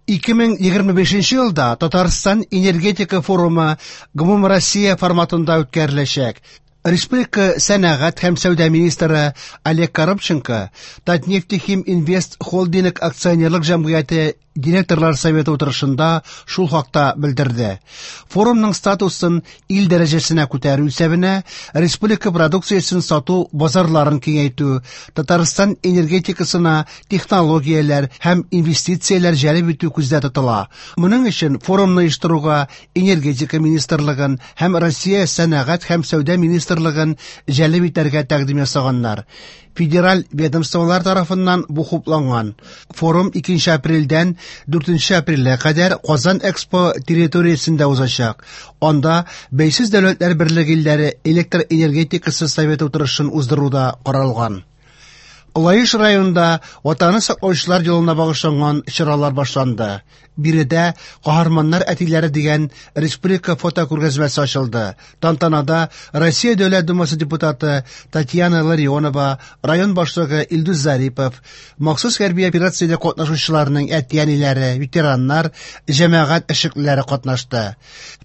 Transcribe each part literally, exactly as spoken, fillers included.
ике мең егерме бишенче елда Татарстан энергетика форумы гомумроссия форматында үткәреләчәк. Республика сәнәгать һәм сәүдә министры Олег Коробченко Татнефтехим Инвест Холдинг акционерлык җәмгыяте директорлар советы утырышында шул хакта белдерде. Форумның статусын ил дәрәҗәсенә күтәрү исәбенә республика продукциясен сату базарларын киңәйтү, Татарстан энергетикасына технологияләр һәм инвестицияләр җәлеп итү күздә тотыла. Моның өчен форумны оештыруга Энергетика министрлыгын һәм Россия сәнәгать һәм сәүдә министрлыгын җәлеп итәргә тәкъдим ясаганнар. Федераль ведомстволар тарафыннан бу хупланган. Форум икенче апрельдән дүртенче апрельгә кадәр Казан Экспо территориясендә узачак. Анда Бәйсез Дәүләтләр Берлеге илләре электр энергетикасы советы утырышын уздыру да каралган. Лаеш районында Ватанны саклаучылар елына багышланган чаралар башланды. Биредә «Каһарманнар әтиләре» дигән республика фотокүргәзмәсе ачылды. Тантанада Россия Дәүләт Думасы депутаты Татьяна Ларионова, район башлыгы Илдус Зарипов, махсус хәрби операциядә катнашучыларның әти-әниләре, ветераннар, җәмәгать эшлеклеләре катнашты.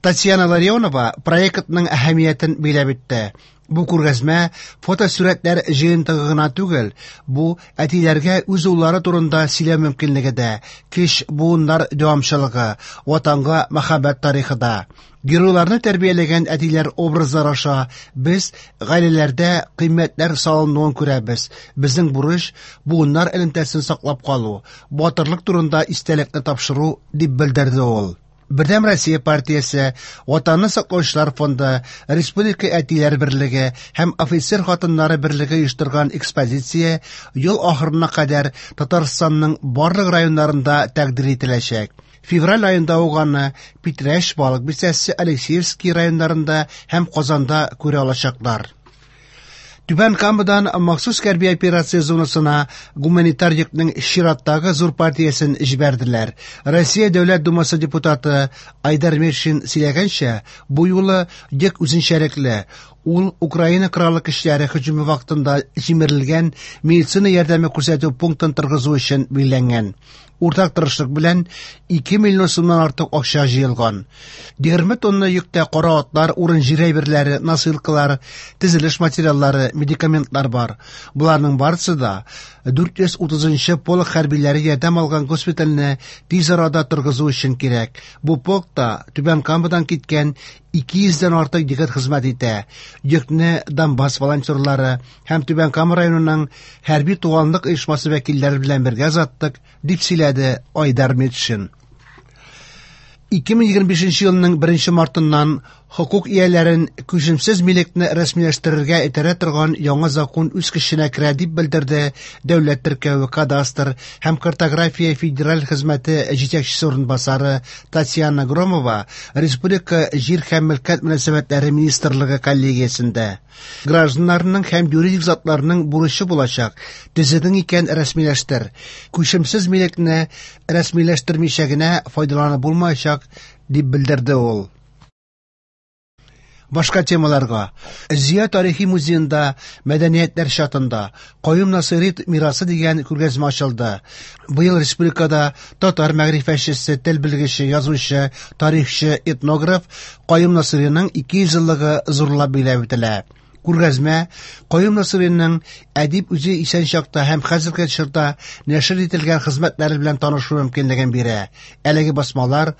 Татьяна Ларионова проектның әһәмиятен биләп үтте. Бу күргәзмә фотосурәтләр җыентыгы гына түгел, бу әтиләргә үз уллары турында сөйләү мөмкинлеге дә, кеч буыннар дәвамчылыгы, ватанга мәхәббәт тарихы да. Геройларны тәрбияләгән әтиләр образлары аша без гаиләләрдә кыйммәтләр салынуын күрәбез. Безнең бурыч буыннар элемтәсен саклап калу, батырлык турында истәлекне тапшыру, дип белдерде ул. Бердәм Россия партиясе, Ватанны саклаучылар фонды, Республика әтиләр берлеге һәм офицер хатыннары берлеге оештырган экспозиция ел ахырына кадәр Татарстанның барлык районнарында тәкъдир ителәчәк. Февраль аенда ук аны Питрәч, Балык Бистәсе, Алексеевский районнарында һәм Казанда күрә алачаклар. Түбән Камадан махсус хәрби операция зонасына гуманитар йөкнең чираттагы зур партиясен җибәрделәр. Россия Дәүләт Думасы депутаты Айдар Метшин сөйләгәнчә, бу юлы йөк үзенчәлекле. Ул Украина Кораллы көчләре һөҗүме вакытында җимерелгән медицина ярдәме күрсәтү пунктын торгызу өчен билгеләнгән. Уртак тырышлык белән ике миллион сумнан артык акча җыелган. егерме тонна йөктә кара атлар, урын-җир әйберләре, носилкалар, төзелеш материаллары, медикаментлар бар. Боларның барысы да дүрт йөз утызынчы полк хәрбиләре ярдәм алган госпитальне тиз арада торгызу өчен кирәк. Бу полкта Түбән Камадан киткән ике йөздән артык егет хезмәт итә. Йөкне Донбасс волонтерлары һәм Түбән Кама районының хәрби туганлык оешмасы вәкилләре белән бергә озаттык, дип сөйләде Айдар Метшин. ике мең егерме бишенче елның беренче мартыннан хокук ияләрен күчемсез милекне рәсмиләштерергә этәрә торган яңа закон үз көченә керә, дип белдерде Дәүләт теркәве, кадастр һәм картография федераль хезмәте җитәкчесе урынбасары Татьяна Громова республика Җир һәм мөлкәт мөнәсәбәтләре министрлыгы коллегиясендә. Гражданнарның һәм юридик затларның бурычы булачак: төзедең икән, рәсмиләштер. Күчемсез милекне рәсмиләштермичә генә файдаланып булмаячак, дип белдерде ул. Башка темаларга. Зөя тарихи музеенда «Мәдәниятләр чатында: Каюм Насыйри мирасы» дигән күргәзмә ачылды. Быел республикада татар мәгърифәтчесе, тел белгече, язучы, тарихчы, этнограф Каюм Насыйриның ике йөз еллыгы зурлап билгеләп үтелә. Күргәзмә Каюм Насыйриның әдип үзе исән чакта һәм хәзерге чорда нәшер ителгән хезмәтләре белән танышу мөмкинлеген бирә. Әлеге басмалар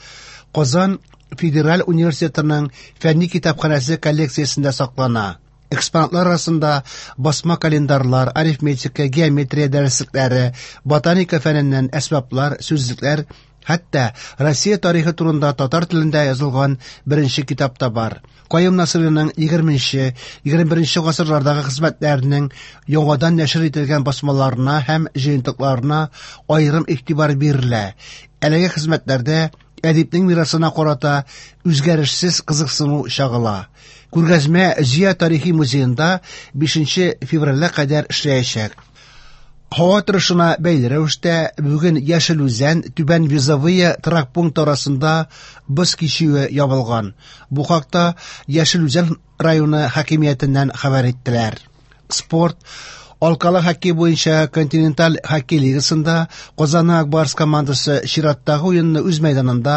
Казан федераль университетының фәнни китапханәсе коллекциясендә саклана. Экспонатлар арасында басма календарьлар, арифметика, геометрия дәреслекләре, ботаника фәненнән әсбаплар, сүзлекләр, хәтта Россия тарихы турында татар телендә язылган беренче китап та бар. Каюм Насыйриның егерменче, егерме беренче гасырлардагы хезмәтләренең яңадан нәшер ителгән басмаларына һәм җыентыкларына аерым игътибар бирелә. Әлеге хезмәтләрдә әдипнең мирасына карата үзгәрешсез кызыксыну чагыла. Күргәзмә Зөя тарихи музеенда бишенче февральгә кадәр эшләячәк. Һава торышына бәйле рәвештә бүген Яшел Үзән, Түбән Вязовые торак пункты арасында боз кичүе ябылган. Бу хакта Яшел Үзән районы хакимиятеннән хәбәр иттеләр. Спорт. Алкалы хоккей буенча Континенталь хоккей лигасында Казанның Ак Барс командасы чираттагы уенны үз мәйданында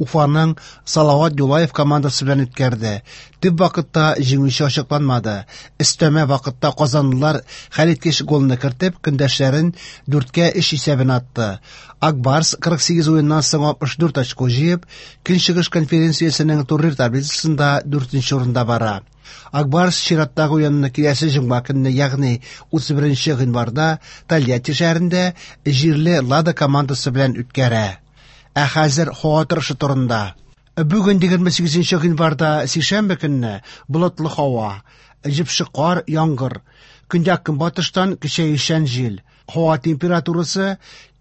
Уфаның Салават Юлаев командасы белән үткәрде. Төп вакытта җиңүче ачыкланмады. Өстәмә вакытта казанлылар хәлиткеч голны кертеп, көндәшләрен дүрткә өч исәбен атты. Ак Барс кырык сигез уеннан соң алтмыш дүрт очко җыеп, Көнчыгыш конференциясенең турнир таблицасында дүртенче урында бара. Ак Барс чираттагы уенны киләсе җомга көнне, ягъни утыз беренче гыйнварда Тольятти шәһәрендә җирле Лада командасы белән үткәрә. Ә хәзер һава торышы турында. Бүген егерме сигезенче гыйнварда сишәмбе көнне болытлы һава, җепшек кар, яңгыр. Көньяк-көнбатыштан көчәючән җил. Һава температурасы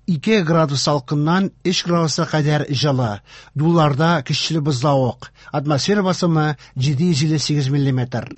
ике градус салкыннан өч градуска кадәр җылы. Юлларда көчле бозлавык. Атмосфера басымы җиде йөз илле сигез миллиметр.